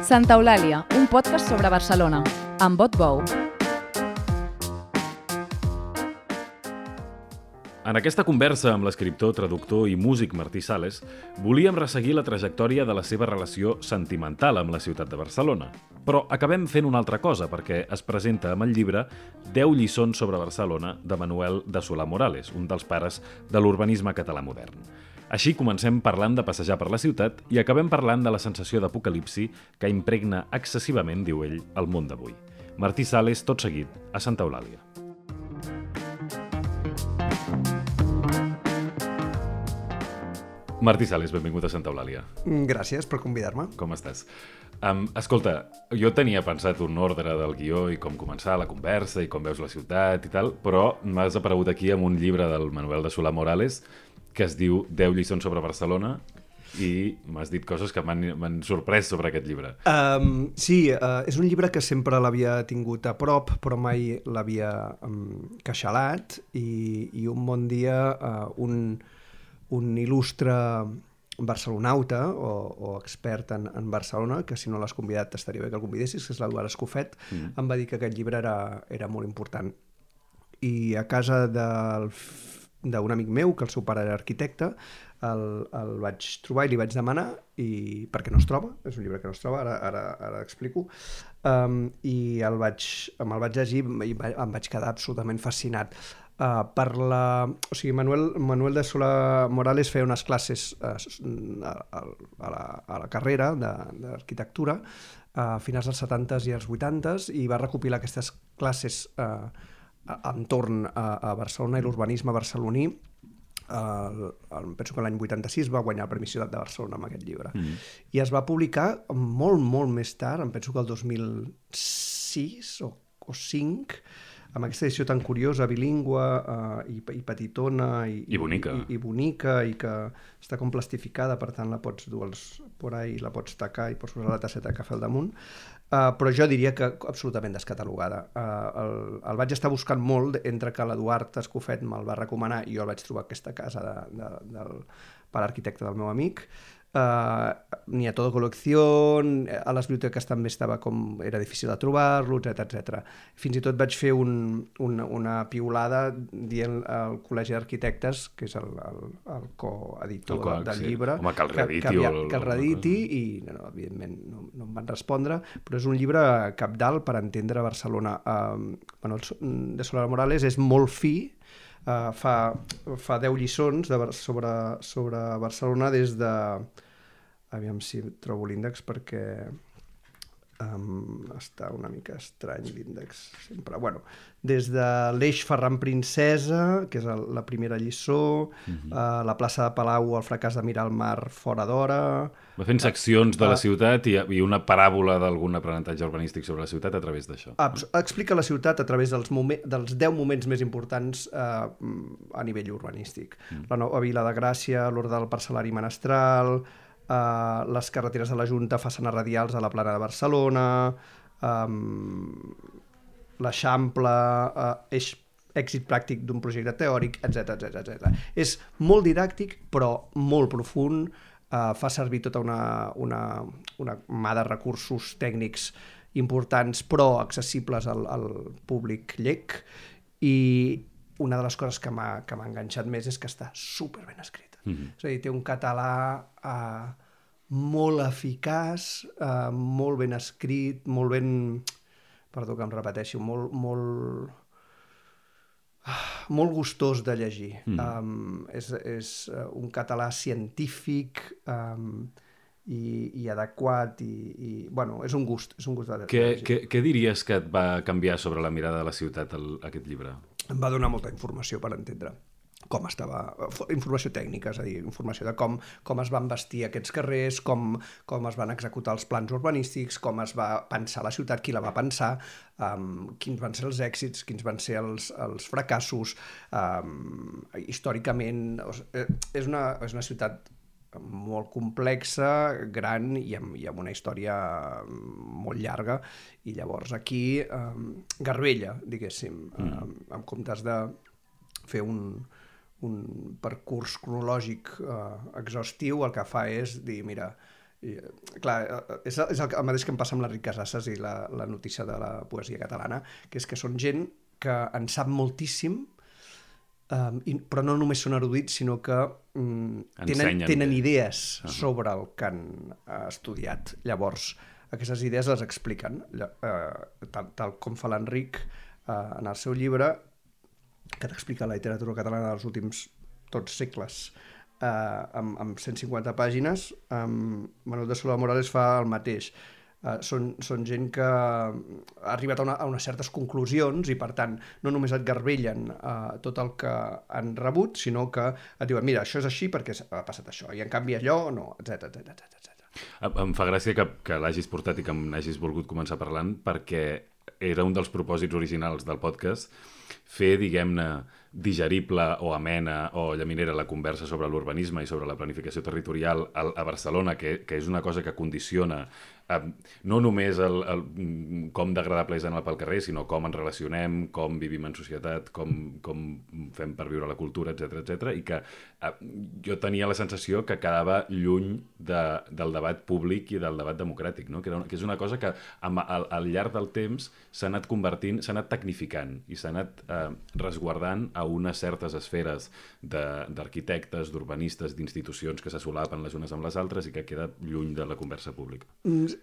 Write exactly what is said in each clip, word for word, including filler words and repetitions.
Santa Eulàlia, un podcast sobre Barcelona, amb Bot Bou. En aquesta conversa amb l'escriptor, traductor i músic Martí Sales, volíem resseguir la trajectòria de la seva relació sentimental amb la ciutat de Barcelona. Però acabem fent una altra cosa, perquè es presenta amb el llibre deu lliçons sobre Barcelona de Manuel de Solà-Morales, un dels pares de l'urbanisme català modern. Així comencem parlant de passejar per la ciutat i acabem parlant de la sensació d'apocalipsi que impregna excessivament, diu ell, el món d'avui. Martí Sales, tot seguit, a Santa Eulàlia. Martí Sales, benvingut a Santa Eulàlia. Gràcies per convidar-me. Com estàs? Um, escolta, jo tenia pensat un ordre del guió i com començar la conversa i com veus la ciutat i tal, però m'has aparegut aquí amb un llibre del Manuel de Solà-Morales que es diu deu lliçons sobre Barcelona i m'has dit coses que m'han sorprès sobre aquest llibre. Um, sí, uh, és un llibre que sempre l'havia tingut a prop, però mai l'havia um, queixalat i, i un bon dia uh, un, un il·lustre barcelonauta o, o expert en, en Barcelona, que si no l'has convidat estaria bé que el convidessis, que és l'Eduard Escofet, mm. em va dir que aquest llibre era, era molt important. I a casa del d'un amic meu, que el seu pare era arquitecte, el, el vaig trobar i li vaig demanar, i perquè no es troba, és un llibre que no es troba, ara, ara, ara explico, um, i el vaig, me'l vaig llegir i em vaig quedar absolutament fascinat. Uh, per la... O sigui, Manuel, Manuel de Solà-Morales feia unes classes uh, a, a, la, a la carrera d'arquitectura a finals dels setantes i els vuitantes i va recopilar aquestes classes uh, entorn a, a Barcelona i l'urbanisme barceloní. El, el, penso que l'any vuitanta-sis va guanyar el Premi Ciutat de Barcelona amb aquest llibre. Mm. I es va publicar molt, molt més tard, em penso que el dos mil sis o, o cinc, amb aquesta edició tan curiosa, bilingüe uh, i, i petitona i, I bonica. I, i bonica i que està com plastificada, per tant la pots dur als, por ahí, la pots tacar i pots posar la tasseta de cafè al damunt. Uh, però jo diria que absolutament descatalogada. Uh, el, el vaig estar buscant molt entre que l'Eduard Escofet me'l va recomanar i jo el vaig trobar a aquesta casa de, de, del pare arquitecte del meu amic. Uh, n'hi ha tota col·lecció, a les biblioteques també estava com era difícil de trobar-lo, etcètera, etcètera. Fins i tot vaig fer un, un, una piulada dient al Col·legi d'Arquitectes, que és el, el, el coeditor el co, del sí. llibre, Home, que el rediti, que, que, el, que el rediti i no, no, evidentment no, no em van respondre, però és un llibre cabdal per entendre Barcelona. Uh, Manuel de Solà-Morales és molt fi. Uh, fa, fa deu lliçons de, sobre, sobre Barcelona des de... Aviam si trobo l'índex perquè um, està una mica estrany l'índex sempre. Bueno, des de l'Eix Ferran Princesa, que és el, la primera lliçó, uh-huh. uh, la plaça de Palau, el fracàs de mirar el mar fora d'hora... Va fent seccions de la ciutat i, i una paràbola d'algun aprenentatge urbanístic sobre la ciutat a través d'això. Explica la ciutat a través dels, momen, dels deu moments més importants eh, a nivell urbanístic. Mm. La nova Vila de Gràcia, l'Orde del Parcel·lari Menestral, eh, les carreteres de la Junta, façanes radials a la plana de Barcelona, eh, l'Eixample, eh, eix èxit pràctic d'un projecte teòric, etcètera, etcètera, etcètera. És molt didàctic, però molt profund. Uh, fa servir tota una, una, una mà de recursos tècnics importants però accessibles al, al públic llec, i una de les coses que m'ha que m'ha enganxat més és que està super ben escrita. Mm-hmm. És a dir, té un català uh, molt eficaç, uh, molt ben escrit, molt ben... Perdó que em repeteixo, molt... molt molt gustós de llegir. Mm. Um, és és un català científic um, i, i adequat i, i bueno, és un gust, és un gust de què, què, què diries que et va canviar sobre la mirada de la ciutat el, aquest llibre? Em va donar molta informació per entendre com estava, informació tècnica, és a dir, informació de com, com es van vestir aquests carrers, com, com es van executar els plans urbanístics, com es va pensar la ciutat, qui la va pensar, um, quins van ser els èxits, quins van ser els, els fracassos, um, històricament. És una, és una ciutat molt complexa, gran i amb, i amb una història molt llarga, i llavors aquí um, garbella, diguéssim, mm. um, en comptes de fer un un percurs cronològic eh, exhaustiu, el que fa és dir, mira, I, clar, és, és el, el mateix que em passa amb l'Enric Casasses i la, la notícia de la poesia catalana, que és que són gent que en sap moltíssim, um, i, però no només són erudits, sinó que um, tenen, tenen idees uh -huh. sobre el que han uh, estudiat. Llavors, aquestes idees les expliquen, uh, tal, tal com fa l'Enric uh, en el seu llibre, que t'explica la literatura catalana dels últims tots segles, Uh, amb, amb cent cinquanta pàgines. um, Manuel de Sola Morales fa el mateix. Uh, són, són gent que ha arribat a, una, a unes certes conclusions i, per tant, no només et garbellen uh, tot el que han rebut, sinó que et diuen, mira, això és així perquè ha passat això, i en canvi allò no, etcètera etcètera. Em fa gràcia que, que l'hagis portat i que n'hagis volgut començar parlant, perquè era un dels propòsits originals del podcast, fer, diguem-ne, digerible o amena o llaminera la conversa sobre l'urbanisme i sobre la planificació territorial a, a Barcelona, que, que és una cosa que condiciona eh, no només el, el, com d'agradable és anar pel carrer, sinó com ens relacionem, com vivim en societat, com, com fem per viure la cultura, etcètera etcètera, i que eh, jo tenia la sensació que quedava lluny de, del debat públic i del debat democràtic, no? que, era una, que és una cosa que amb, al, al llarg del temps s'ha anat convertint, s'ha anat tecnificant i s'ha anat eh, resguardant a unes certes esferes d'arquitectes, d'urbanistes, d'institucions que se solapen les unes amb les altres i que queda lluny de la conversa pública.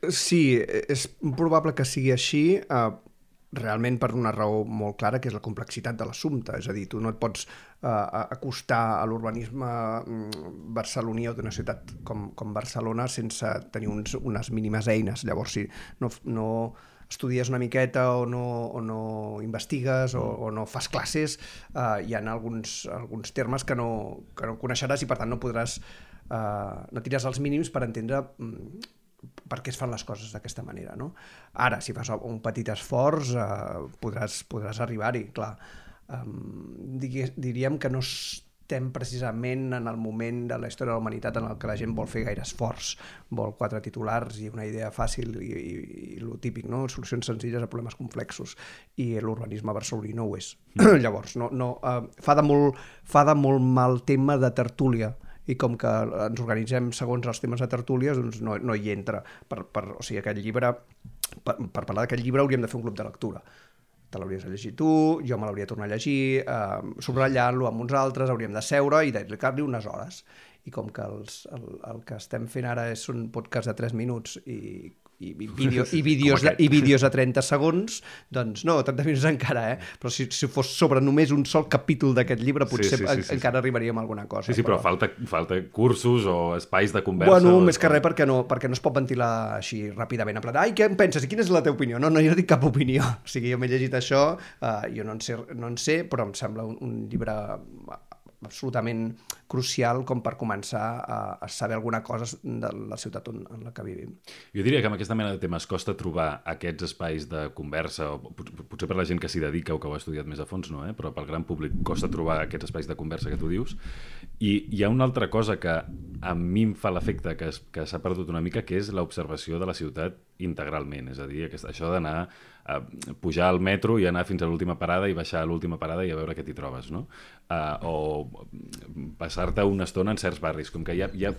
Sí, és probable que sigui així, eh, realment per una raó molt clara, que és la complexitat de l'assumpte. És a dir, tu no et pots eh, acostar a l'urbanisme barceloní o d'una ciutat com, com Barcelona sense tenir uns, unes mínimes eines. Llavors, si no... no estudies una miqueta o no, o no investigues o, o no fas classes, eh, hi ha alguns, alguns termes que no, que no coneixeràs i, per tant, no podràs, eh, no tindràs els mínims per entendre mm, per què es fan les coses d'aquesta manera, no? Ara, si fas un petit esforç, eh, podràs, podràs arribar-hi, clar. Um, diríem que no estem precisament en el moment de la història de la humanitat en el que la gent vol fer gaire esforç, vol quatre titulars i una idea fàcil i, i, i lo típic, no? Solucions senzilles a problemes complexos, i l'urbanisme barceloní no ho és. Mm. Llavors, no, no, uh, fa, de molt, fa de molt mal tema de tertúlia, i com que ens organitzem segons els temes de tertúlies, doncs no, no hi entra. Per, per, o sigui, aquest llibre, per, per parlar d'aquest llibre hauríem de fer un club de lectura. Te l'hauries de llegir tu, jo me l'hauria de tornar a llegir, eh, subratllant-lo amb uns altres, hauríem de seure i dedicar-li unes hores. I com que els, el, el que estem fent ara és un podcast de tres minuts i, i, vídeo, i, vídeos, de, i vídeos de trenta segons, doncs no, trenta minuts encara, eh? Però si, si fos sobre només un sol capítol d'aquest llibre, potser sí, sí, sí, sí, encara arribaríem a alguna cosa. Sí, sí, però, però falta, falta cursos o espais de conversa. Bueno, o... més que res perquè no, perquè no es pot ventilar així ràpidament, en plan, ai, què en penses i quina és la teva opinió? No, no, jo no dic cap opinió. O sigui, jo m'he llegit això, uh, jo no en, sé, no en sé, però em sembla un, un llibre absolutament crucial com per començar a, a saber alguna cosa de la ciutat on, en la que vivim. Jo diria que amb aquesta mena de temes costa trobar aquests espais de conversa, o potser per la gent que s'hi dedica o que ho ha estudiat més a fons, no, eh? Però pel gran públic costa trobar aquests espais de conversa que tu dius. I hi ha una altra cosa que a mi em fa l'efecte que, que s'ha perdut una mica, que és l'observació de la ciutat integralment. És a dir, això d'anar a pujar al metro i anar fins a l'última parada i baixar a l'última parada i a veure què t'hi trobes, no? Uh, o passar-te una estona en certs barris, com que ja, ja,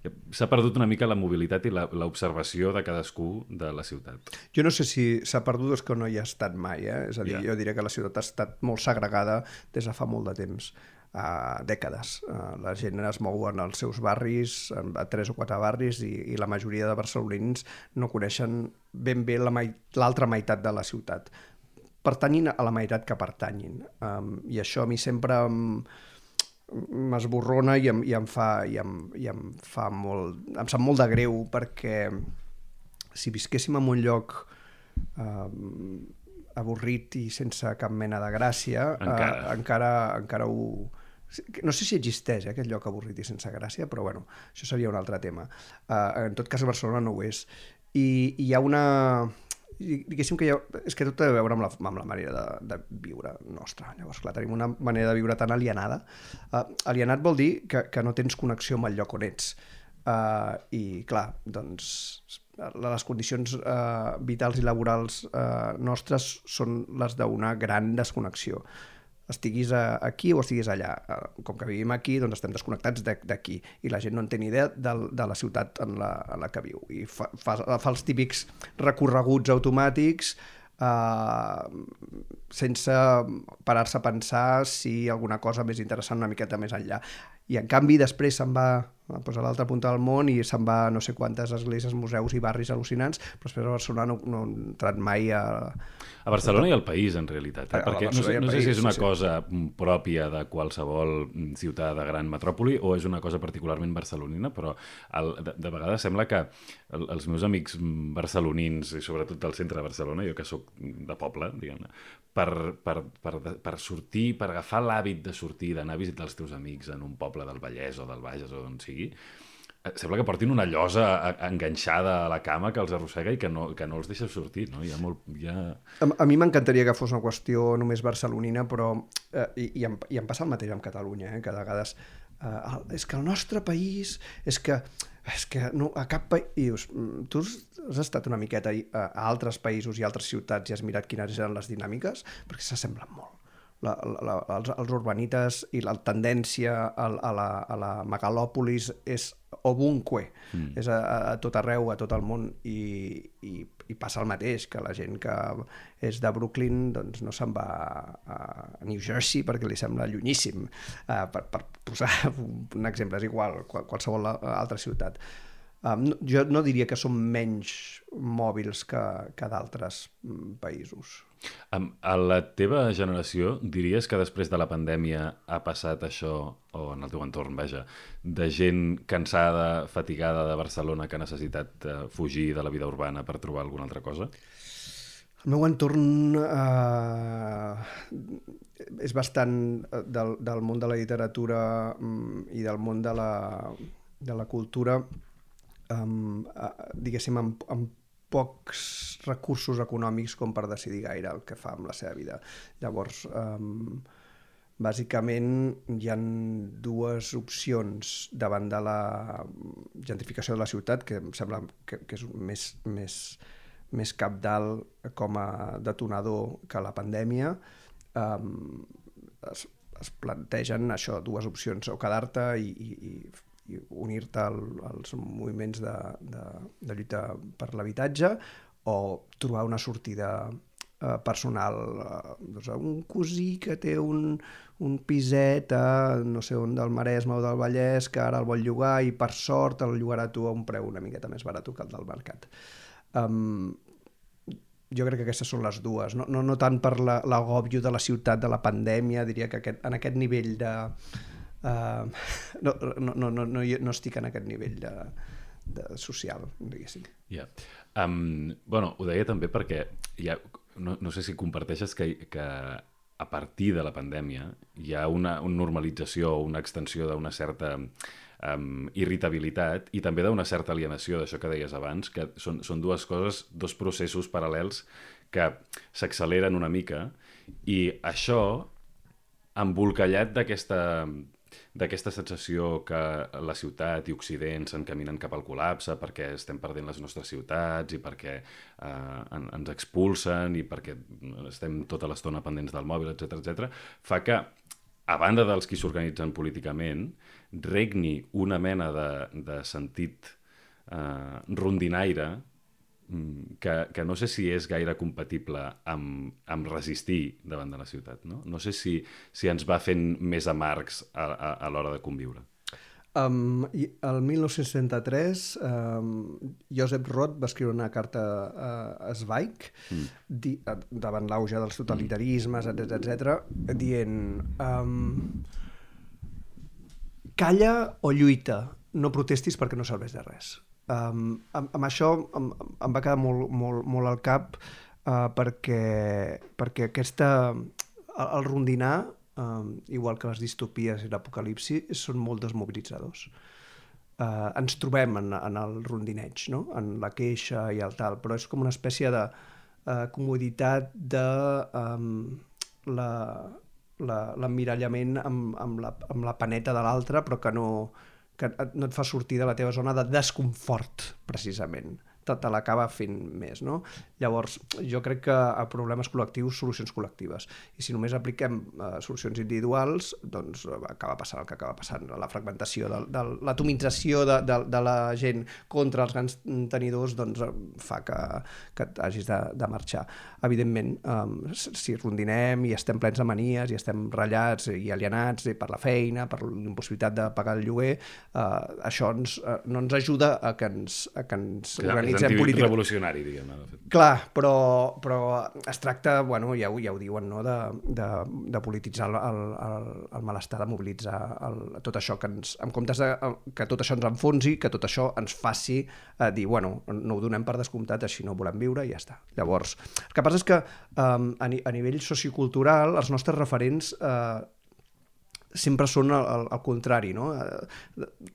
ja s'ha perdut una mica la mobilitat i l'observació de cadascú de la ciutat. Jo no sé si s'ha perdut o és que no hi ha estat mai, eh? És a dir, yeah. Jo diria que la ciutat ha estat molt segregada des de fa molt de temps. Uh, dècades. Uh, la gent es mou en els seus barris, a tres o quatre barris, i, i la majoria de barcelonins no coneixen ben bé l'altra meitat de la ciutat. Pertanyin a la meitat que pertanyin. Um, I això a mi sempre m'esborrona i, em, i, em fa, i, em, i em fa molt... Em sap molt de greu, perquè si visquéssim en un lloc um, avorrit i sense cap mena de gràcia, encara, uh, encara, encara ho... No sé si existeix, eh, aquest lloc avorrit i sense gràcia, però bueno, això seria un altre tema. Uh, en tot cas, a Barcelona no ho és. I, i hi ha una... Diguéssim que hi ha... És que tot té a veure amb la, amb la manera de, de viure nostra. Llavors, clar, tenim una manera de viure tan alienada. Uh, alienat vol dir que, que no tens connexió amb el lloc on ets. Uh, I, clar, doncs... les condicions uh, vitals i laborals uh, nostres són les d'una gran desconnexió. estiguis a, aquí o estiguis allà. Com que vivim aquí, doncs estem desconnectats d'aquí i la gent no en té ni idea de, de la ciutat en la, en la que viu. I fa, fa, fa els típics recorreguts automàtics uh, sense parar-se a pensar si alguna cosa més interessant una miqueta més enllà. I en canvi després se'n va pues, a l'altra punta del món i se'n va a no sé quantes esglésies, museus i barris al·lucinants, però després a Barcelona no, no he entrat mai a... A Barcelona i al país, en realitat. Eh? Perquè no sé, no sé si és una sí, sí. cosa pròpia de qualsevol ciutat de gran metròpoli o és una cosa particularment barcelonina, però el, de, de vegades sembla que el, els meus amics barcelonins, i sobretot del centre de Barcelona, jo que sóc de poble, diguem-ne, per, per, per, per sortir, per agafar l'hàbit de sortir, d'anar a visitar els teus amics en un poble del Vallès o del Bages o d'on sigui, sembla que portin una llosa enganxada a la cama que els arrossega i que no, que no els deixa sortir, no? Hi ha molt, hi ha... A, a mi m'encantaria que fos una qüestió només barcelonina, però eh, i, i, em, i em passa el mateix amb Catalunya, eh? Que de vegades eh, és que el nostre país és que, és que no, a cap país... Tu has estat una miqueta a, a altres països i altres ciutats i has mirat quines eren les dinàmiques, perquè s'assemblen molt. La, la, els, els urbanites i la tendència a, a, la, a la megalòpolis és ovunque, mm. és a, a tot arreu, a tot el món, i, i, i passa el mateix, que la gent que és de Brooklyn doncs no se'n va a New Jersey perquè li sembla llunyíssim, uh, per, per posar un exemple, és igual, qualsevol altra ciutat. Um, no, jo no diria que som menys mòbils que, que d'altres països. Um, a la teva generació diries que després de la pandèmia ha passat això, o en el teu entorn, vaja, de gent cansada, fatigada de Barcelona que ha necessitat uh, fugir de la vida urbana per trobar alguna altra cosa? El meu entorn uh, és bastant del, del món de la literatura um, i del món de la, de la cultura, um, uh, diguéssim, amb, amb pocs recursos econòmics com per decidir gaire el que fa amb la seva vida. Llavors, um, bàsicament hi ha dues opcions davant de la gentrificació de la ciutat, que em sembla que, que és més, més, més cabdal com a detonador que la pandèmia. Um, es, es plantegen això, dues opcions, o quedar-te i, i, i unir-te al, als moviments de, de, de lluita per l'habitatge o trobar una sortida eh, personal. Eh, doncs un cosí que té un, un piset a no sé on del Maresme o del Vallès que ara el vol llogar i per sort el llogarà tu a un preu una miqueta més barat que el del mercat. Um, jo crec que aquestes són les dues, no, no, no tant per l'agòbio de la ciutat, de la pandèmia, diria que aquest, en aquest nivell de... Uh, no, no, no, no, no, no estic en aquest nivell de, de social, diguéssim. Yeah. Um, bueno, ho deia també perquè ja, no, no sé si comparteixes que, que a partir de la pandèmia hi ha una, una normalització o una extensió d'una certa um, irritabilitat i també d'una certa alienació d'això que deies abans, que són, són dues coses, dos processos paral·lels que s'acceleren una mica i això embolcallat d'aquesta d'aquesta sensació que la ciutat i Occident s'encaminen cap al col·lapse perquè estem perdent les nostres ciutats i perquè eh, en, ens expulsen i perquè estem tota l'estona pendents del mòbil, etcètera, etcètera, fa que, a banda dels qui s'organitzen políticament, regni una mena de, de sentit eh, rondinaire que, que no sé si és gaire compatible amb, amb resistir davant de la ciutat, no? No sé si, si ens va fent més amargs a, a, a l'hora de conviure. Um, el dinou seixanta-tres, um, Josep Roth va escriure una carta a, a Zweig mm. di, a, davant l'auge dels totalitarismes, etcètera, etcètera, dient um, calla o lluita, no protestis perquè no serveix de res. Um, amb, amb això em, em va quedar molt, molt, molt al cap uh, perquè, perquè aquesta, el, el rondinar, um, igual que les distopies i l'apocalipsi, són molt desmobilitzadors. Uh, ens trobem en, en el rondineig, no? En la queixa i el tal, però és com una espècie de uh, comoditat de um, la, la, l'emmirallament amb, amb, la, amb la paneta de l'altre, però que no... que no et fa sortir de la teva zona de desconfort, precisament. Te, te l'acaba fent més, no? Llavors, jo crec que a problemes col·lectius, solucions col·lectives. I si només apliquem uh, solucions individuals, doncs acaba passant el que acaba passant. La fragmentació, de, de, l'atomització de, de, de la gent contra els grans tenidors doncs, fa que, que hagis de, de marxar. Evidentment, um, si rondinem i estem plens de manies i estem ratllats i alienats per la feina, per l'impossibilitat de pagar el lloguer, uh, això ens, uh, no ens ajuda a que ens, a que ens Clar, organitzem políticament. És revolucionari, diguem. Clar, però, però es tracta, bueno, ja ho, ja ho diuen, no? de, de, de polititzar el, el, el malestar, de mobilitzar el, tot això, que ens, en comptes de que tot això ens enfonsi, que tot això ens faci eh, dir, bueno, no ho donem per descomptat, així no volem viure i ja està. Llavors, el que passa és que um, a, ni, a nivell sociocultural els nostres referents eh, sempre són al, al contrari, no? A,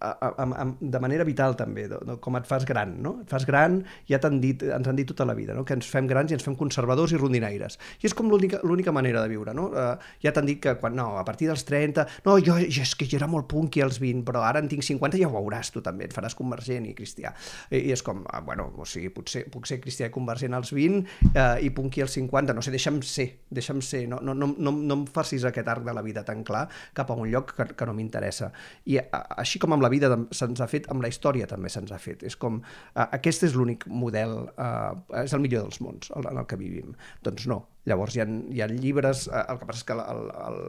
a, a, de manera vital també, no? Com et fas gran, no? Et fas gran, ja t'han dit, ens han dit tota la vida, no? Que ens fem grans i ens fem conservadors i rondinaires. I és com l'única manera de viure, no? Uh, ja t'han dit que quan, no, a partir dels trenta, no, jo, jo és que jo era molt punky als vint, però ara en tinc cinquanta i ja ho veuràs tu també, et faràs convergent i cristià. I, i és com, uh, bueno, o sigui, potser puc ser cristià i convergent als vint uh, i punky als cinquanta, no sé, deixa'm ser, deixa'm ser, no, no, no, no, no em facis aquest arc de la vida tan clar cap a un lloc que, que no m'interessa. I a, així com amb la vida se'ns ha fet, amb la història també se'ns ha fet. És com, uh, aquest és l'únic model, uh, és el millor dels mons el, en el que vivim. Doncs no. Llavors hi ha, hi ha llibres, uh, el que passa és que el, el,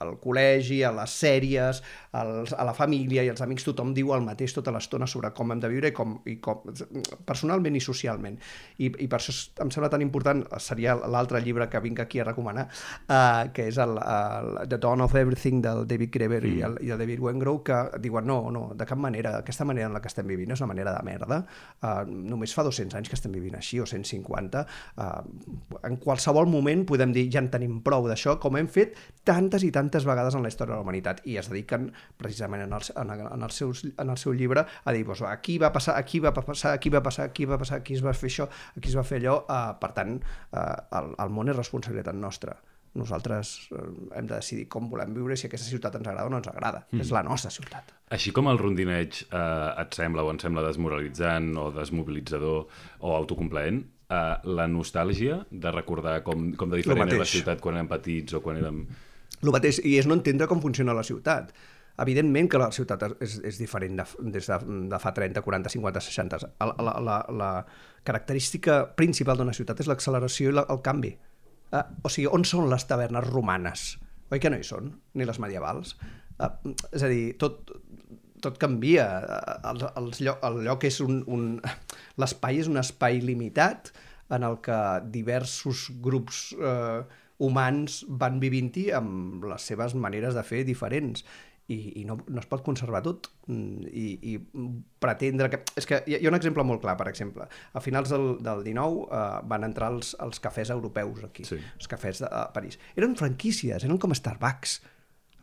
al col·legi, a les sèries, als, a la família i als amics, tothom diu el mateix tota l'estona sobre com hem de viure i com, i com personalment i socialment. I, i per això em sembla tan important, seria l'altre llibre que vinc aquí a recomanar, uh, que és el, el The Dawn of Everything del David Graeber mm. i, el, i el David Wengrow, que diuen no, no, de cap manera, aquesta manera en la que estem vivint és una manera de merda. Uh, només fa dos-cents anys que estem vivint així, o cent cinquanta. Uh, en qualsevol moment podem dir ja en tenim prou d'això, com hem fet tantes i tantes vegades en la història de la humanitat, i es dediquen precisament en el, en el, seus, en el seu llibre a dir, doncs, aquí va passar, aquí va passar, aquí va passar, aquí va passar, aquí es va fer això, aquí es va fer allò, uh, per tant, uh, el, el món és responsabilitat nostra. Nosaltres uh, hem de decidir com volem viure, si aquesta ciutat ens agrada o no ens agrada. Mm. És la nostra ciutat. Així com el rondineig eh, et sembla o ens sembla desmoralitzant o desmobilitzador o autocomplaent, eh, la nostàlgia de recordar com, com de diferent era la ciutat quan érem petits o quan érem... El mateix, i és no entendre com funciona la ciutat. Evidentment que la ciutat és, és diferent de, des de, de fa trenta, quaranta, cinquanta, seixanta. La, la, la, la característica principal d'una ciutat és l'acceleració i la, el canvi. Uh, o sigui, on són les tavernes romanes? Oi que no hi són? Ni les medievals? Uh, és a dir, tot, tot canvia. El, el, lloc, el lloc és un... un l'espai és un espai limitat en el que diversos grups eh, humans van vivint-hi amb les seves maneres de fer diferents. I, i no, no es pot conservar tot i, i pretendre que... És que hi ha un exemple molt clar, per exemple. A finals del, del dinou eh, van entrar els, els cafès europeus aquí, sí. Els cafès de a París. Eren franquícies, eren com Starbucks.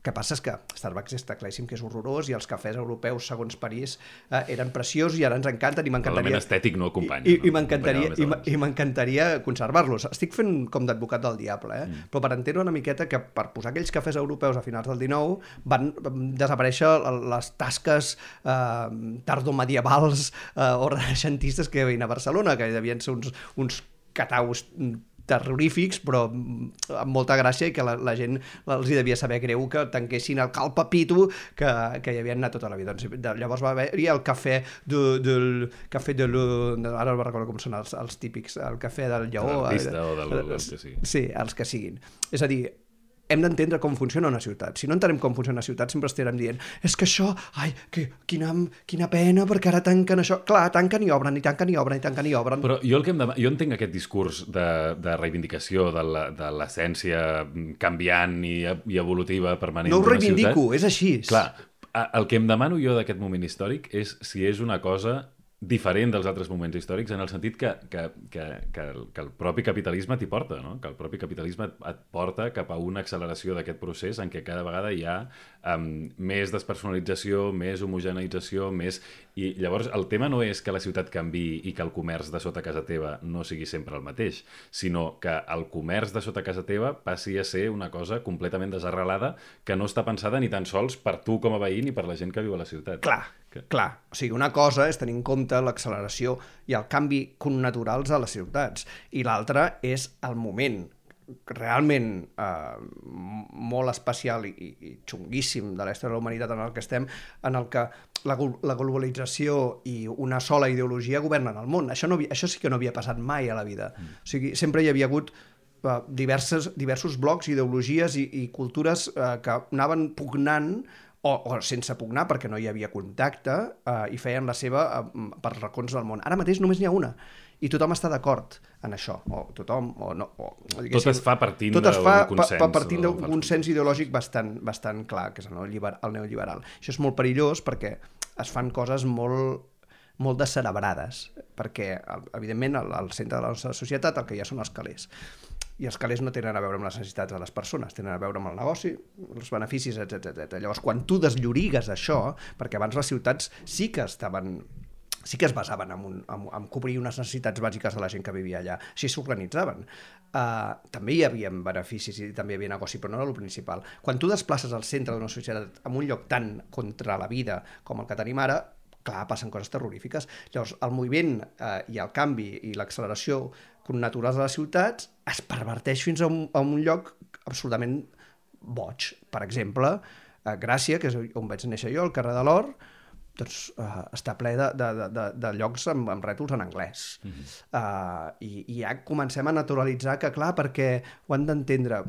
El que passa és que Starbucks està claríssim que és horrorós i els cafès europeus, segons París, eh, eren preciosos i ara ens encanten i m'encantaria... L'element estètic no acompanya. I, no? i m'encantaria i, i m'encantaria conservar-los. Estic fent com d'advocat del diable, eh? Mm. Però per entendre una miqueta que per posar aquells cafès europeus a finals del dinou van desaparèixer les tasques eh, tardomedievals eh, o renaixentistes que hi havia a Barcelona, que devien ser uns, uns cataus terrorífics, però amb molta gràcia, i que la, la gent els hi devia saber greu que tanquessin el Cal Papito que, que hi havien anat tota la vida. Doncs, llavors va haver-hi el cafè de, del cafè de lo, ara no recordo com són els, els típics, el cafè del Lleó, de l'artista o del, del que sigui. Sí, els que siguin. És a dir, hem d'entendre com funciona una ciutat. Si no entenem com funciona una ciutat, sempre estarem dient és que això, ai, que, quina, quina pena, perquè ara tanquen això. Clar, tanquen i obren, i tanquen i obren, i tanquen i obren. Però jo, el que em demà... jo entenc aquest discurs de, de reivindicació de, la, de l'essència canviant i, i evolutiva permanent no d'una ciutat. No ho reivindico, és així. Clar, el que em demano jo d'aquest moment històric és si és una cosa diferent dels altres moments històrics, en el sentit que, que, que, que, el, que el propi capitalisme t'hi porta, no? Que el propi capitalisme et porta cap a una acceleració d'aquest procés en què cada vegada hi ha um, més despersonalització, més homogeneïtzació, més... I llavors el tema no és que la ciutat canviï i que el comerç de sota casa teva no sigui sempre el mateix, sinó que el comerç de sota casa teva passi a ser una cosa completament desarrelada que no està pensada ni tan sols per tu com a veí ni per la gent que viu a la ciutat. Clar, que... clar. O sigui, una cosa és tenir en compte l'acceleració i el canvi connaturals a les ciutats, i l'altra és el moment realment eh, molt especial i, i xunguíssim de la història de la humanitat en el que estem, en el que la, la globalització i una sola ideologia governen el món. Això, no, això sí que no havia passat mai a la vida. Mm. O sigui, sempre hi havia hagut eh, diverses, diversos blocs, ideologies i, i cultures eh, que anaven pugnant o, o sense pugnar perquè no hi havia contacte eh, i feien la seva eh, per racons del món. Ara mateix només n'hi ha una. I tothom està d'acord en això, o tothom, o no... O, tot es fa partint d'un consens. Tot es fa partint d'un consens ideològic bastant, bastant clar, que és el, el neoliberal. Això és molt perillós perquè es fan coses molt, molt descerebrades, perquè, evidentment, al, al centre de la nostra societat el que hi ha són els calés. I els calés no tenen a veure amb les necessitats de les persones, tenen a veure amb el negoci, els beneficis, etcètera. Llavors, quan tu desllorigues això, perquè abans les ciutats sí que estaven... sí que es basaven en, un, en, en cobrir unes necessitats bàsiques de la gent que vivia allà. Així s'organitzaven. Uh, també hi havia beneficis i també hi havia negoci, però no era el principal. Quan tu desplaces al centre d'una societat en un lloc tan contra la vida com el que tenim ara, clar, passen coses terrorífiques. Llavors, el moviment uh, i el canvi i l'acceleració connaturals de les ciutats es perverteix fins a un, a un lloc absolutament boig. Per exemple, a Gràcia, que és on vaig néixer jo, al carrer de l'Or, doncs uh, està ple de, de, de, de llocs amb, amb rètols en anglès. Mm-hmm. uh, i, I ja comencem a naturalitzar que, clar, perquè ho han d'entendre.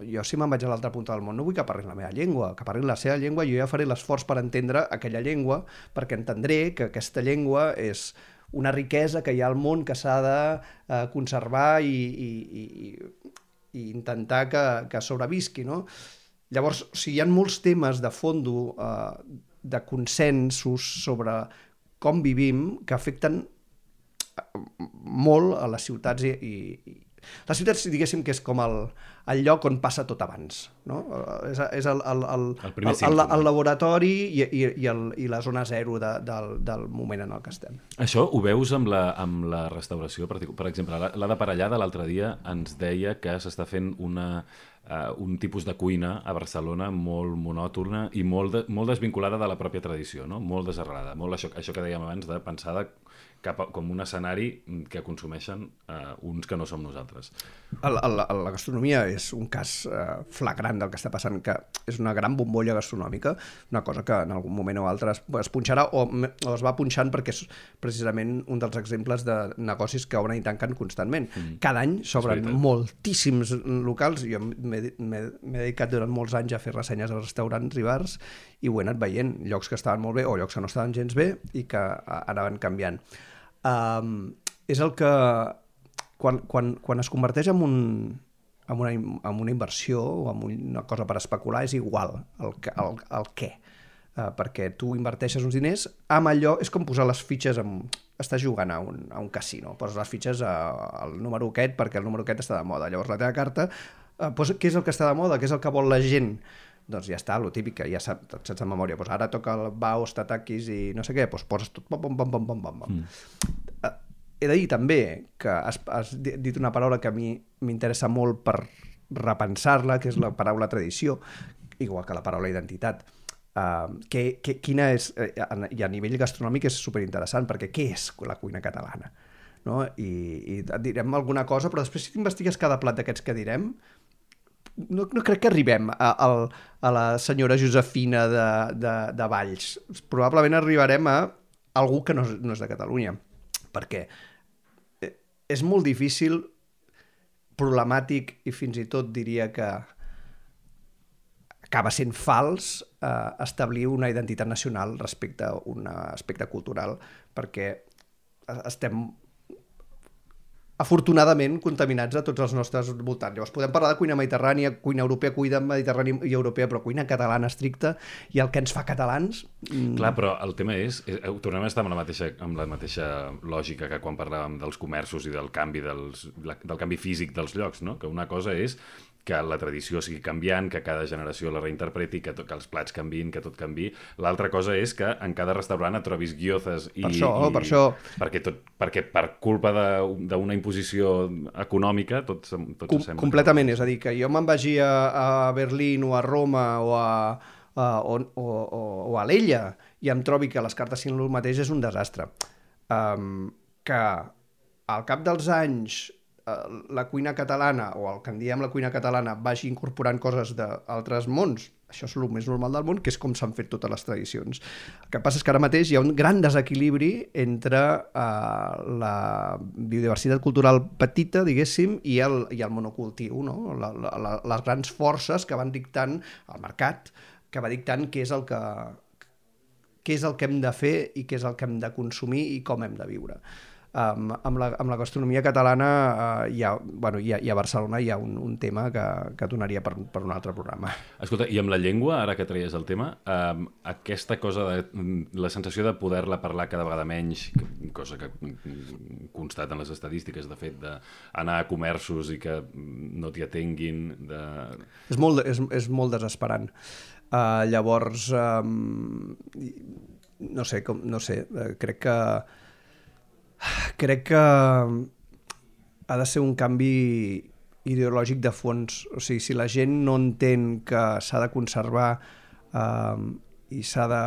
Jo, si me'n vaig a l'altra punta del món, no vull que parlin la meva llengua, que parlin la seva llengua, i jo ja faré l'esforç per entendre aquella llengua, perquè entendré que aquesta llengua és una riquesa que hi ha al món que s'ha de uh, conservar i, i, i, i intentar que, que sobrevisqui, no? Llavors, o sigui, hi ha molts temes de fondo uh, de consensos sobre com vivim que afecten molt a les ciutats i, i... Les ciutats, diguéssim, que és com el, el lloc on passa tot abans, no? És, és el, el, el, el, el, el, el laboratori i, i, i, el, i la zona zero de, del, del moment en el que estem. Això ho veus amb la, amb la restauració? Per, per exemple, l'Ada Parellada l'altre dia ens deia que s'està fent una... Uh, un tipus de cuina a Barcelona molt monòtona i molt, de, molt desvinculada de la pròpia tradició, no? Molt desarrelada, molt això, això que dèiem abans de pensar de, cap a, com un escenari que consumeixen uh, uns que no som nosaltres. El, el, la gastronomia és un cas uh, flagrant del que està passant, que és una gran bombolla gastronòmica, una cosa que en algun moment o altre es, es punxarà o, o es va punxant perquè és precisament un dels exemples de negocis que obren i tanquen constantment. Mm. Cada any s'obren moltíssims locals. Jo m'he dedicat durant molts anys a fer ressenyes a restaurants i bars i ho he anat veient, llocs que estaven molt bé o llocs que no estaven gens bé i que anaven canviant. Um, és el que quan, quan, quan es converteix en, un, en, una, en una inversió o en una cosa per especular és igual el, el, el què. Uh, perquè tu inverteixes uns diners amb allò, és com posar les fitxes en, estàs jugant a un, a un casino, poses les fitxes a, al número aquest perquè el número aquest està de moda, llavors la teva carta Uh, posa, què és el que està de moda, què és el que vol la gent, doncs ja està, lo típic, ja sap, saps de memòria, doncs ara toca el Baus, Tatakis i no sé què, doncs poses tot pom, pom, pom, pom, pom, pom. Mm. Uh, he de dir també que has, has dit una paraula que a mi m'interessa molt per repensar-la, que és la paraula tradició, igual que la paraula identitat. Uh, que, que, quina és, uh, i a nivell gastronòmic és superinteressant, perquè què és la cuina catalana? No? I, i et direm alguna cosa, però després si t'investigues cada plat d'aquests que direm, no, no crec que arribem a, a, a la senyora Josefina de, de, de Valls. Probablement arribarem a algú que no és, no és de Catalunya, perquè és molt difícil, problemàtic i fins i tot diria que acaba sent fals eh, establir una identitat nacional respecte a un aspecte cultural, perquè estem afortunadament contaminats a tots els nostres voltants. Llavors podem parlar de cuina mediterrània, cuina europea, cuina mediterrània i europea, però cuina catalana estricta i el que ens fa catalans... Mm... Clar, però el tema és, tornem a estar amb la mateixa, amb la mateixa lògica que quan parlàvem dels comerços i del canvi, dels, del canvi físic dels llocs, no? Que una cosa és que la tradició sigui canviant, que cada generació la reinterpreti, que, tot, que els plats canvin, que tot canvi. L'altra cosa és que en cada restaurant et trobis guiozes i... Per això, i, per això. Perquè, tot, perquè per culpa d'una imposició econòmica tot, tot Com, sembla... completament, que... és a dir, que jo me'n vagi a, a Berlín o a Roma o a, a, o, o, o, o a l'Ella i em trobi que les cartes siguin el mateix és un desastre. Um, que al cap dels anys la cuina catalana, o el que en diem la cuina catalana, vagi incorporant coses d'altres mons, això és el més normal del món, que és com s'han fet totes les tradicions. El que passa és que ara mateix hi ha un gran desequilibri entre uh, la biodiversitat cultural petita, diguéssim, i el, i el monocultiu, no? la, la, les grans forces que van dictant el mercat, que va dictant què és el que, què és el que hem de fer i què és el que hem de consumir i com hem de viure. Um, amb, la, amb la gastronomia catalana uh, hi ha, bueno, hi ha, hi ha a Barcelona hi ha un, un tema que, que donaria per, per un altre programa. Escolta, i amb la llengua, ara que treies el tema, um, aquesta cosa de la sensació de poder-la parlar cada vegada menys, cosa que constaten les estadístiques, de fet, d'anar a comerços i que no t'hi atenguin... De... És, molt, és, és molt desesperant. Uh, llavors, um, no sé, com, no sé, uh, crec que crec que ha de ser un canvi ideològic de fons. O sigui, si la gent no entén que s'ha de conservar eh, i s'ha de...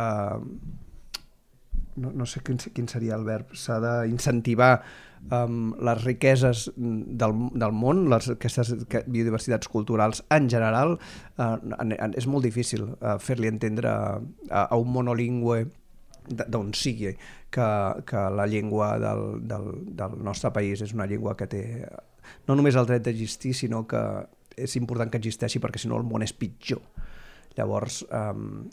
No, no sé quin, quin seria el verb. S'ha d'incentivar um, les riqueses del, del món, les, aquestes biodiversitats culturals en general, uh, és molt difícil uh, fer-li entendre a, a un monolingüe d'on sigui que, que la llengua del, del, del nostre país és una llengua que té no només el dret d'existir, sinó que és important que existeixi perquè si no el món és pitjor. Llavors, um,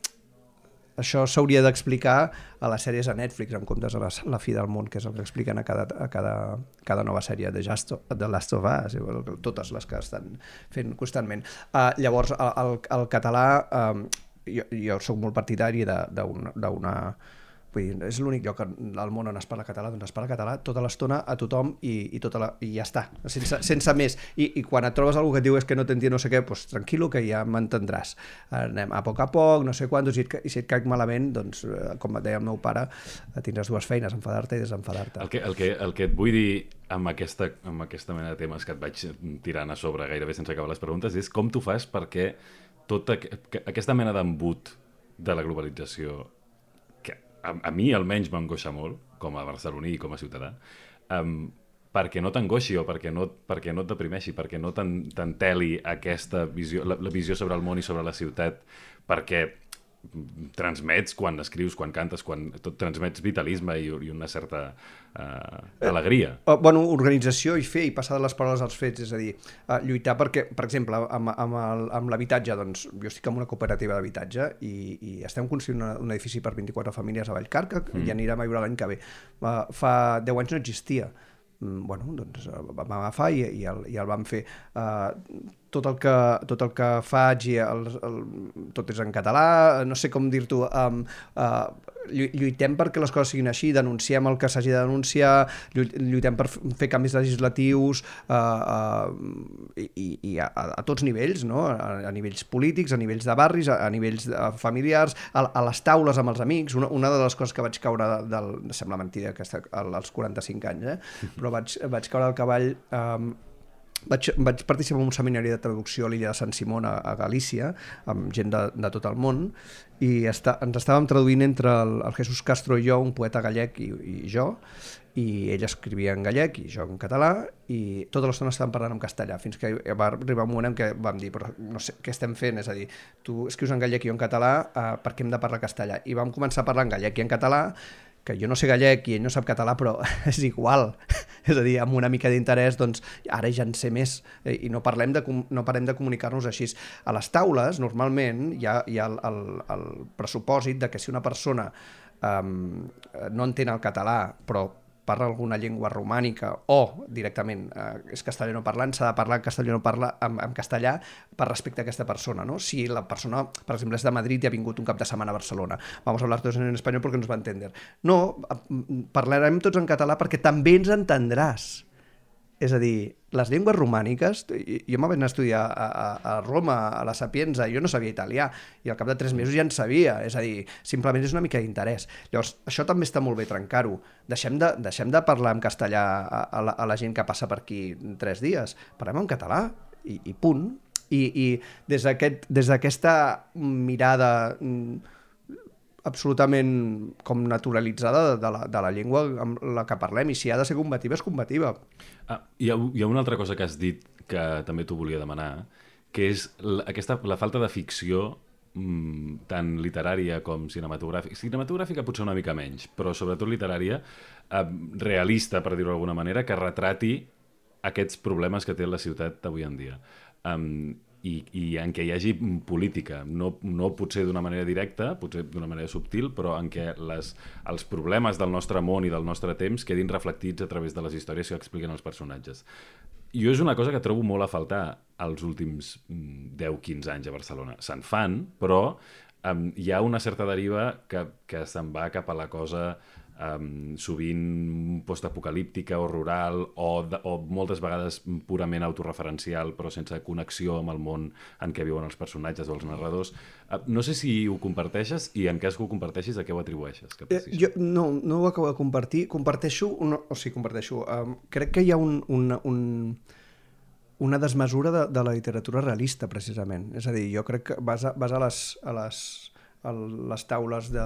això s'hauria d'explicar a les sèries de Netflix en comptes de la, la fi del món, que és el que expliquen a cada, a cada, cada nova sèrie de, Justo, de Last of Us, totes les que estan fent constantment. Uh, llavors, el, el, el català, um, jo, jo soc molt partidari d'una... Vull dir, és l'únic lloc al món on es parla català, doncs es parla català tota l'estona a tothom i, i, tota la, i ja està, sense, sense més. I, I quan et trobes algú que et diu és que no t'entén no sé què, doncs tranquil·lo que ja m'entendràs. Anem a poc a poc, no sé quantos, i, i si et caic malament, doncs, com et deia el meu pare, tindràs dues feines, enfadar-te i desenfadar-te. El que, el, que, el que et vull dir amb aquesta, amb aquesta mena de temes que et vaig tirant a sobre gairebé sense acabar les preguntes és com tu fas perquè tota aquesta mena d'embut de la globalització A, a mi almenys m'angoixa molt, com a barceloní i com a ciutadà, um, perquè no t'angoixi o perquè no, perquè no et deprimeixi, perquè no t'enteli aquesta visió, la, la visió sobre el món i sobre la ciutat, perquè transmets quan escrius, quan cantes, quan tot transmets vitalisme i, i una certa uh, alegria. Eh, bueno, organització i fer i passar de les paraules als fets, és a dir, uh, lluitar perquè, per exemple, amb, amb, el, amb l'habitatge, doncs jo estic en una cooperativa d'habitatge i, i estem construint una, un edifici per vint-i-quatre famílies a Vallcarca mm. i anirem a viure l'any que ve. Uh, fa deu anys no existia. Mm, bueno, doncs vam agafar i, i, el, i el vam fer. Uh, tot el que, tot el que faig i el, el, tot és en català, no sé com dir-t'ho, um, uh, lluitem perquè les coses siguin així, denunciem el que s'hagi de denunciar, lluitem per fer canvis legislatius uh, uh, i, i a, a tots nivells, no? a, a nivells polítics, a nivells de barris, a, a nivells familiars, a, a les taules amb els amics. Una, una de les coses que vaig caure del... Sembla mentida que als quaranta-cinc anys, eh? Però vaig, vaig caure al cavall... Um, Vaig, vaig participar en un seminari de traducció a l'illa de Sant Simón, a, a Galícia, amb gent de, de tot el món, i està, ens estàvem traduint entre el, el Jesús Castro i jo, un poeta gallec i, i jo, i ell escrivia en gallec i jo en català, i tota l'estona estàvem parlant en castellà, fins que va arribar un moment en què vam dir, però no sé què estem fent, és a dir, tu escrius en gallec i jo en català, eh, per què hem de parlar castellà? I vam començar a parlar en gallec i en català, que jo no sé gallec i ell no sap català, però és igual. És a dir, amb una mica d'interès, doncs ara ja en sé més i no parlem de, no parem de comunicar-nos així. A les taules, normalment, hi ha, hi ha el, el, el pressupòsit de que si una persona um, no entén el català, però parla alguna llengua romànica o directament eh, és castellano parlant, s'ha de parlar en castellano parla en, en castellà per respecte a aquesta persona, no? Si la persona, per exemple, és de Madrid i ha vingut un cap de setmana a Barcelona, vamos a hablar todos en español porque nos va a entender. No, parlarem tots en català perquè també ens entendràs. És a dir, les llengües romàniques, jo m'ho vaig anar a estudiar a, a, a Roma, a la Sapienza, jo no sabia italià, i al cap de tres mesos ja en sabia, és a dir, simplement és una mica d'interès. Llavors, això també està molt bé trencar-ho. Deixem de, deixem de parlar en castellà a, a, la, a la gent que passa per aquí tres dies, parlem en català, i, i punt. I, i des d'aquest, des d'aquesta mirada absolutament com naturalitzada de, de, la, de la llengua amb la que parlem, i si ha de ser combativa, és combativa. Ah, hi, ha, hi ha una altra cosa que has dit que també t'ho volia demanar, que és la, aquesta, la falta de ficció mmm, tant literària com cinematogràfica. Cinematogràfica potser una mica menys, però sobretot literària, eh, realista, per dir-ho d'alguna manera, que retrati aquests problemes que té la ciutat d'avui en dia. Um, i, i en què hi hagi política, no, no potser d'una manera directa, potser d'una manera subtil, però en què les, els problemes del nostre món i del nostre temps quedin reflectits a través de les històries que expliquen els personatges. Jo és una cosa que trobo molt a faltar als últims deu quinze anys a Barcelona. Se'n fan, però um, hi ha una certa deriva que, que se'n va cap a la cosa Um, sovint postapocalíptica o rural o, de, o moltes vegades purament autorreferencial però sense connexió amb el món en què viuen els personatges o els narradors. Uh, no sé si ho comparteixes i en cas que ho comparteixis a què ho atribueixes? Eh, jo no, no ho acabo de compartir. Comparteixo, no, o sigui, comparteixo. Um, crec que hi ha un, un, un, una desmesura de, de la literatura realista, precisament. És a dir, jo crec que vas a, vas a les... A les a les taules de,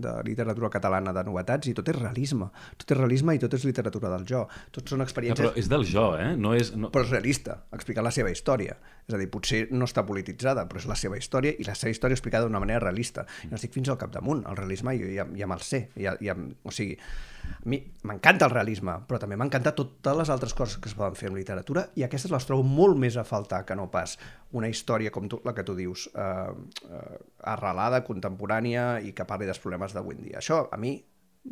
de literatura catalana de novetats i tot és realisme. Tot és realisme i tot és literatura del jo. Tot són experiències... No, però és del jo, eh? No és, no... Però és realista, explicant la seva història. És a dir, potser no està polititzada, però és la seva història i la seva història explicada d'una manera realista. No estic fins al capdamunt. El realisme jo ja, ja me'l sé. Ja, ja, o sigui, a mi m'encanta el realisme, però també m'encanta totes les altres coses que es poden fer en literatura i aquestes les trobo molt més a faltar que no pas una història com tu, la que tu dius, eh, eh, arrelada, contemporània i que parli dels problemes d'avui en dia. Això, a mi,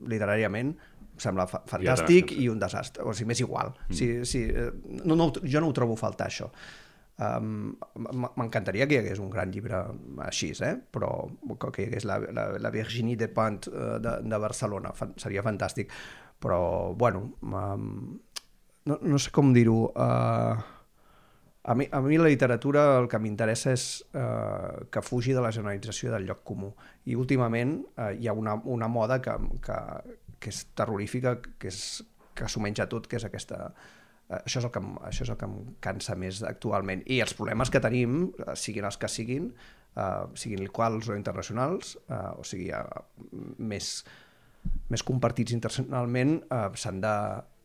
literàriament, em sembla fa fantàstic i, i un desastre. O sigui, m'és igual. Mm. Si, si, no, no, jo no ho trobo a faltar, això. Um, m'encantaria que hi hagués un gran llibre així, eh? Però que hi hagués la, la, la Virginie Despentes uh, de, de Barcelona, Fan, seria fantàstic, però bueno, um, no, no sé com dir-ho. uh, a, mi, a mi la literatura el que m'interessa és uh, que fugi de la generalització del lloc comú, i últimament uh, hi ha una, una moda que, que, que és terrorífica, que, és, que s'ho menja tot, que és aquesta... Això és, el que, això és el que em cansa més actualment. I els problemes que tenim, siguin els que siguin, uh, siguin locals o internacionals, uh, o sigui, uh, més, més compartits internacionalment, uh, s'han de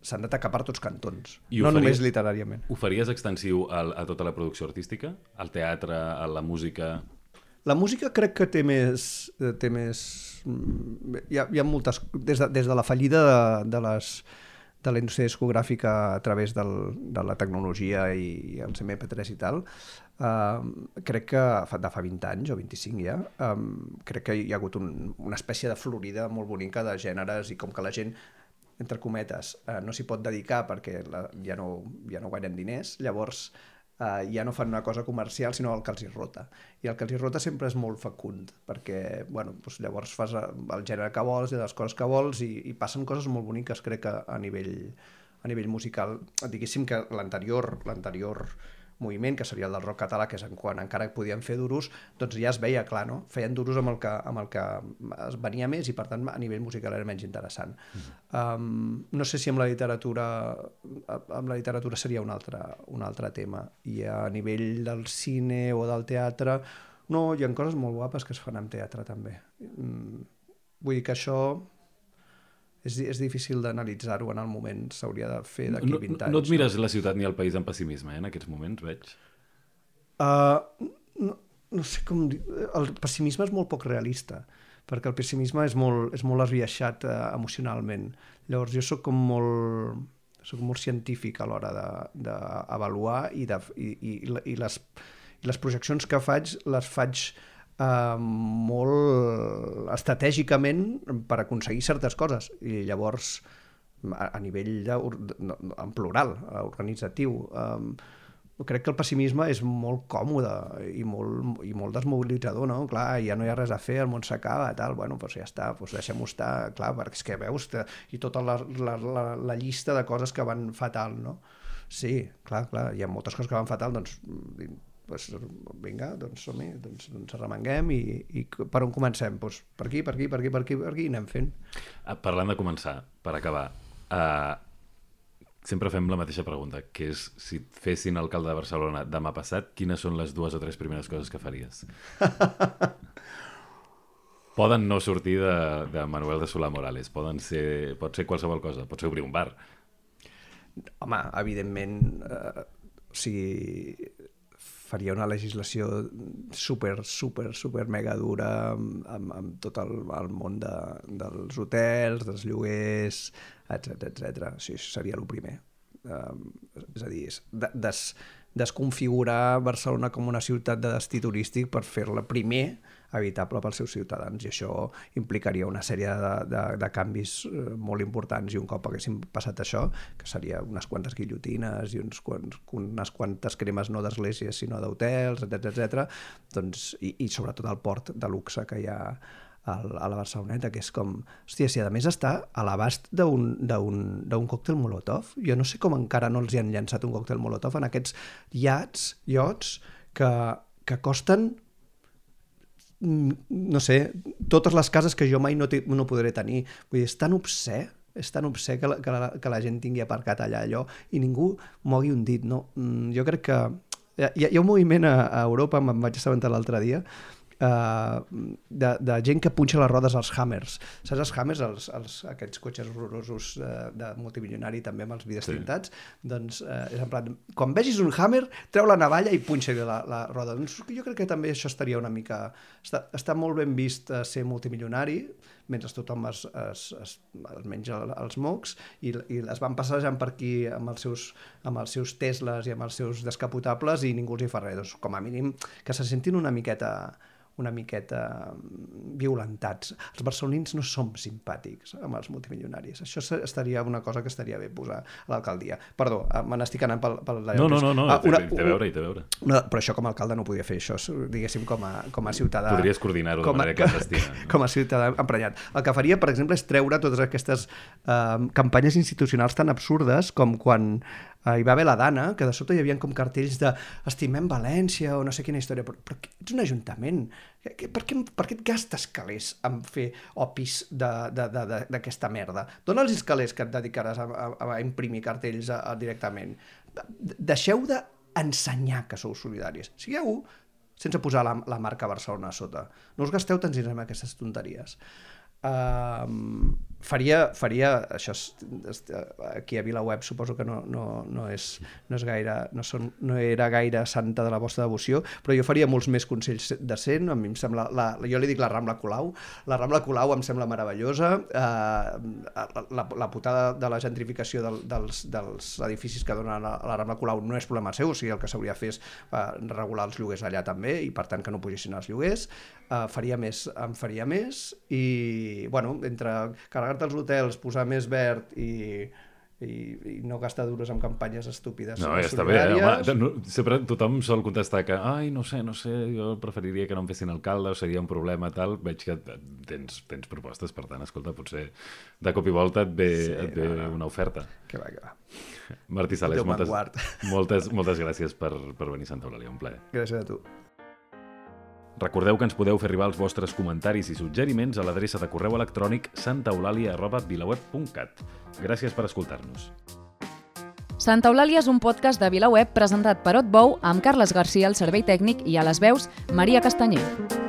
s'han d'atacar per tots cantons, no faries, només literàriament. Ho faries extensiu a, a tota la producció artística? Al teatre, a la música? La música crec que té més... Té més hi, ha, hi ha moltes... Des de, des de la fallida de, de les... de la indústria discogràfica a través del, de la tecnologia i els eme pe tres i tal, uh, crec que de fa vint anys o vint-i-cinc ja, um, crec que hi ha hagut un, una espècie de florida molt bonica de gèneres i com que la gent, entre cometes, uh, no s'hi pot dedicar perquè la, ja, no, ja no guanyen diners, llavors uh, ja no fan una cosa comercial sinó el que els hi rota. I el que els hi rota sempre és molt fecund, perquè bueno, doncs llavors fas el gènere que vols i les coses que vols i, i passen coses molt boniques, crec que a nivell, a nivell musical. Diguéssim que l'anterior l'anterior moviment, que seria el del rock català, que és en quan encara podien fer duros, doncs ja es veia clar, no? Feien duros amb el que, amb el que es venia més i per tant a nivell musical era menys interessant. Mm-hmm. um, no sé si amb la literatura amb la literatura seria un altre, un altre tema, i a nivell del cine o del teatre no, hi ha coses molt guapes que es fan amb teatre també. um, vull dir que això és, és difícil d'analitzar-ho en el moment, s'hauria de fer d'aquí no, vint anys. No et mires no? La ciutat ni el país amb pessimisme, eh, en aquests moments, veig? Uh, no, no sé com dir... El pessimisme és molt poc realista, perquè el pessimisme és molt, és molt esbiaixat uh, emocionalment. Llavors jo sóc com molt, sóc molt científic a l'hora d'avaluar de, de i, de, i, i, i, les, i les projeccions que faig les faig Uh, molt estratègicament per aconseguir certes coses, i llavors a, a nivell de, no, en plural, organitzatiu, um, crec que el pessimisme és molt còmode i molt, i molt desmobilitzador, no? Clar, ja no hi ha res a fer, el món s'acaba, tal, bueno, doncs ja està, doncs deixem-ho estar, clar, perquè és que veus, te, i tota la, la, la, la llista de coses que van fatal, no? Sí, clar, clar, hi ha moltes coses que van fatal, doncs, doncs vinga, doncs som-hi, doncs, doncs arremanguem i, i per on comencem? Doncs per aquí, per aquí, per aquí, per aquí, per aquí, i anem fent. Parlant de començar, per acabar, uh, sempre fem la mateixa pregunta, que és si et fessin alcalde de Barcelona demà passat, quines són les dues o tres primeres coses que faries? Poden no sortir de, de Manuel de Solà Morales, poden ser, pot ser qualsevol cosa, pot ser obrir un bar. Home, evidentment, eh, o sigui, faria una legislació super, super, super mega dura amb, amb, amb tot el, el món de, dels hotels, dels lloguers, etcètera, etcètera. Sí, això seria el primer. Um, és a dir, és des, desconfigurar Barcelona com una ciutat de destí turístic per fer-la primer habitable pels seus ciutadans, i això implicaria una sèrie de, de, de canvis molt importants, i un cop haguéssim passat això, que seria unes quantes guillotines i uns quants, unes quantes cremes no d'esglésies sinó d'hotels, etcètera, etcètera, doncs, i, i sobretot el port de luxe que hi ha a la Barceloneta, que és com... Hòstia, si a més està a l'abast d'un còctel Molotov, jo no sé com encara no els hi han llançat un còctel Molotov en aquests iats, iots, que, que costen, no sé, totes les cases que jo mai no, no podré tenir. Vull dir, és tan obscè, és tan obscè que la, que, la, que la gent tingui aparcat allà allò i ningú mogui un dit, no? Jo crec que... Hi ha, hi ha un moviment a, a Europa, me'n vaig assabentar l'altre dia, Uh, de, de gent que punxa les rodes als Hammers. Saps els Hammers, els, els, aquests cotxes horrorosos uh, de multimilionari també amb els vidres tintats? Sí. Doncs uh, és en plan, quan vegis un Hammer, treu la navalla i punxa-li la, la roda. Doncs jo crec que també això estaria una mica... Està, està molt ben vist uh, ser multimilionari, mentre tothom es, es, es, es menja els mocs, i, i es van passejant per aquí amb els, seus, amb els seus Teslas i amb els seus descapotables i ningú els hi fa res. Doncs, com a mínim que se sentin una miqueta una miqueta violentats. Els barcelonins no som simpàtics amb els multimilionaris. Això estaria una cosa que estaria bé posar a l'alcaldia. Perdó, me n'estic anant pel... pel no, no, no, no, ah, una, té a veure, té a veure. Una, però això com a alcalde no podia fer això, diguéssim, com a, com a ciutadà... Podries coordinar-ho de manera clandestina. No? Com a ciutadà emprenyat. El que faria, per exemple, és treure totes aquestes eh, campanyes institucionals tan absurdes com quan hi va haver la Dana, que de sobte hi havia com cartells de estimem València o no sé quina història, però, però ets un ajuntament, per què, per què et gastes calés en fer opis d'aquesta merda? Dóna'ls els calés que et dedicaràs a, a, a imprimir cartells a, a, directament. Deixeu d'ensenyar que sou solidaris. Sigueu sense posar la, la marca Barcelona a sota. No us gasteu tant diners en aquestes tonteries. Uh, faria, faria això és, aquí a VilaWeb suposo que no, no, no, és, no, és gaire, no, són, no era gaire santa de la vostra devoció, però jo faria molts més consells de cent. A mi em sembla, la, jo li dic la Rambla Colau, la Rambla Colau em sembla meravellosa. uh, la, la putada de la gentrificació del, dels, dels edificis que donen a la Rambla Colau no és problema seu, o sigui, el que s'hauria de fer és uh, regular els lloguers allà també, i per tant que no pugessin els lloguers. Uh, faria més, em faria més, i bueno, entre carregar-te els hotels, posar més verd i, i, i no gastar dures amb campanyes estúpides. No, ja està bé, eh? Home, no, sempre tothom sol contestar que ai, no sé, no sé, jo preferiria que no em fessin alcalde, o seria un problema tal. Veig que tens, tens propostes, per tant, escolta, potser de cop i volta et ve, sí, et ve no, no. una oferta. Que va, que va. Martí Sales, moltes, moltes, moltes gràcies per, per venir a Santa Eulàlia, un plaer. Gràcies a tu. Recordeu que ens podeu fer arribar els vostres comentaris i suggeriments a l'adreça de correu electrònic santaeulàlia arroba vilaweb punt cat. Gràcies per escoltar-nos. Santa Eulàlia és un podcast de VilaWeb presentat per Otbou amb Carles Garcia al servei tècnic i a les veus Maria Castanyer.